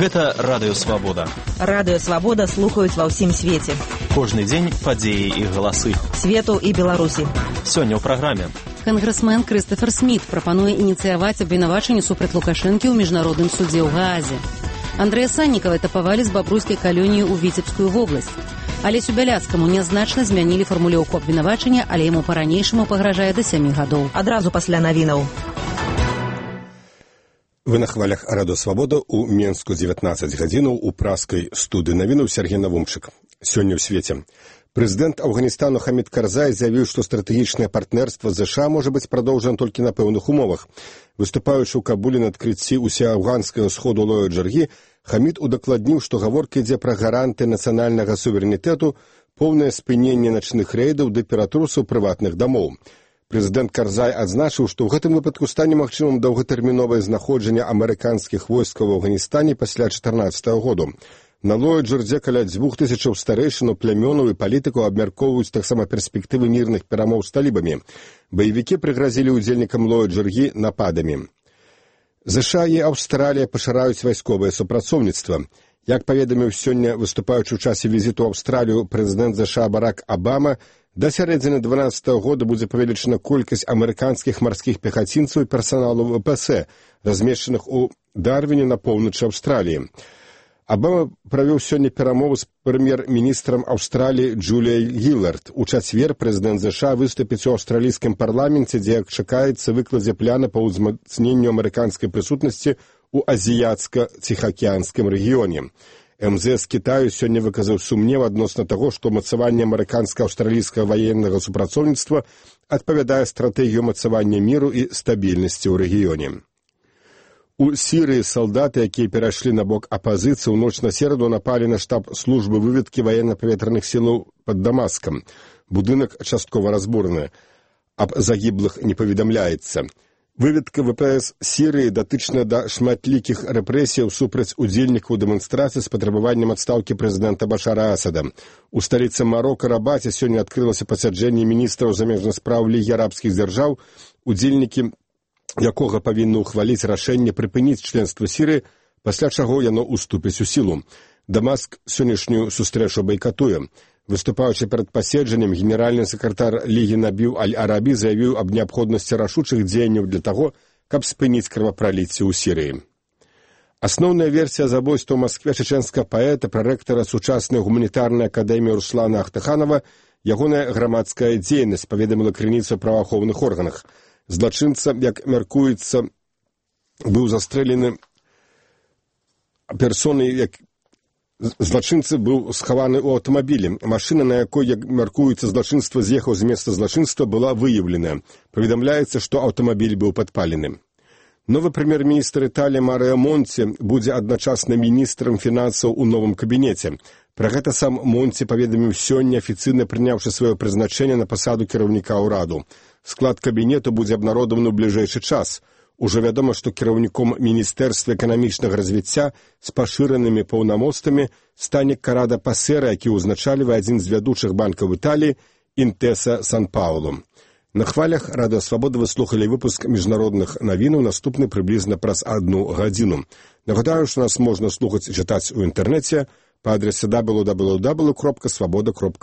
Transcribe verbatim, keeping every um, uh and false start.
Гэта Радыё Свабода. Радыё Свабода слухаюць ва ўсім свеце. Кожны дзень падзеі і галасы. Свету і Беларусі. Сёння ў праграме. Кангрэсмен Крыстафер Сміт прапануе ініцыяваць абвінавачанне супраць Лукашэнкі ў міжнародным судзе ў Гаазе. Андрэя Саннікава этапавалі з бабруйскай калоніі ў Віцебскую вобласць. Алесю Бяляцкаму нязначна змянілі фармулёўку абвінавачання, але яму па-ранейшаму пагражае да сямі гадоў. Адразу пасля навінаў. Вы на хвалях Радыё Свабода ў Менску дзевятнаццаць гадзінаў у праскай студыі навінаў Сергей Навумчык. Сёння ў свеце. Прэзідэнт Афганістану Хамід Карзай заявіў, што стратэгічнае партнерства з ЗША можа быць прадоўжана толькі на пэўных умовах. Выступаючы ў Кабуле на адкрыцці усеафганскага сходу Лоя Джаргі, Хамід удакладніў, што гаворка ідзе пра гаранты нацыянальнага суверэнітэту, поўнае спыненне начных рэйдаў ды ператрусаў прыватных дамоў. Прэзідэнт Карзай адзначыў, што ў гэтым выпадку стане магчымым доўгатэрміновае знаходжанне амерыканскіх войскаў у Афганістане пасля чатырнаццатага году. На Лоя Джардзе каля дзвюх тысячаў старэйшынаў, плямёнаў і палітыкаў абмяркоўваюць таксама перспектывы мірных перамоў з талібамі. Баевікі прыгразілі ўдзельнікам Лоя Джаргі нападамі. ЗША і Аўстралія пашыраюць вайсковае супрацоўніцтва. Як паведаміў сёння выступаючы ў часе візіту ў Аўстралію прэзідэнт ЗША Барак Абама, да сярэдзіны дванаццатага года будзе павелічана колькасць амерыканскіх марскіх пехацінцаў і персаналу ВПС, размешчаных у Дарвіне на поўначы Аўстраліі. Абама правёў сёння перамову з прэм'ер-міністрам Аўстраліі Джуліяй Гілард. У чацвер прэзідэнт ЗША выступіць у аўстралійскім парламенце, дзе чакаецца выкладзе пляна па ўзмацненню амерыканскай прысутнасці ў азіяцка-ціхаакіянскім рэгіёне. МЗС Кітаю сёння выказаў сумнеў адносна таго, што мацаванне амерыканска-аўстралійскага ваеннага супрацоўніцтва адпавядае стратэгію мацавання міру і стабільнасці ў рэгіёне. У Сірыі салдаты, якія перайшлі на бок апазіцыі, у ноч на сераду напалі на штаб службы выведкі ваенна-паветраных сілаў пад Дамаскам. Будынак часткова разбураны. Аб загіблых не паведамляецца. Выведка ВПС Сірыі датычная да шматлікіх рэпрэсіяў супраць удзельнікаў дэманстрацыі з патрабаваннем адстаўкі прэзідэнта Башара Асада. У сталіцы Марока Рабаце сёння адкрылася пасяджэнне міністраў замежных спраў Лігі арабскіх дзяржаў, удзельнікі якога павінны ўхваліць рашэнне прыпыніць членства Сірыі, пасля чаго яно ўступіць у сілу. Дамаск сённяшнюю сустрэчу байкатуе. Выступаючы перад паседжаннем, генеральны сакратар Лігі Набіў Аль-Арабі заявіў аб неабходнасці рашучых дзеянняў для таго, каб спыніць крывапраліцце ў Сірыі. Асноўная версія забойства ў Маскве чэчэнскага паэта, прарэктара сучаснай гуманітарнай акадэміі Руслана Ахтаханова, ягоная грамадская дзейнасць, паведаміла крыніца ў праваахоўных органах. Злачынца, як мяркуецца, быў застрэлены персонай, як злачынцы быў схаваны ў аўтамабілі. Машына, на якой, як мяркуецца, злачынства з'ехаў з месца злачынства, была выяўлена. Паведамляецца, што аўтамабіль быў падпалены. Новы прэм'ер-міністр Італіі Марыа Монці будзе адначасна міністрам фінансаў у новым кабінеце. Пра гэта сам Монці паведаміў сёння, афіцыйна прыняўшы сваё прызначэнне на пасаду кіраўніка ўраду. Склад кабінету будзе абнародаваны ў бліжэйшы час. Ужо вядома, што кіраўніком Міністэрства эканамічнага развіцця з пашыранымі паўнамоцтвамі стане Карада Пасера, які ўзначалівае адзін з вядучых банкаў Італіі Інтэса Сан-Паулу. На хвалях Радыё Свабода вы слухалі выпуск міжнародных навінаў, наступны прыблізна праз адну гадзіну. Нагадаю, што нас можна слухаць і чытаць у інтэрнэце па адрасе дабл ю дабл ю дабл ю кропка свабода кропка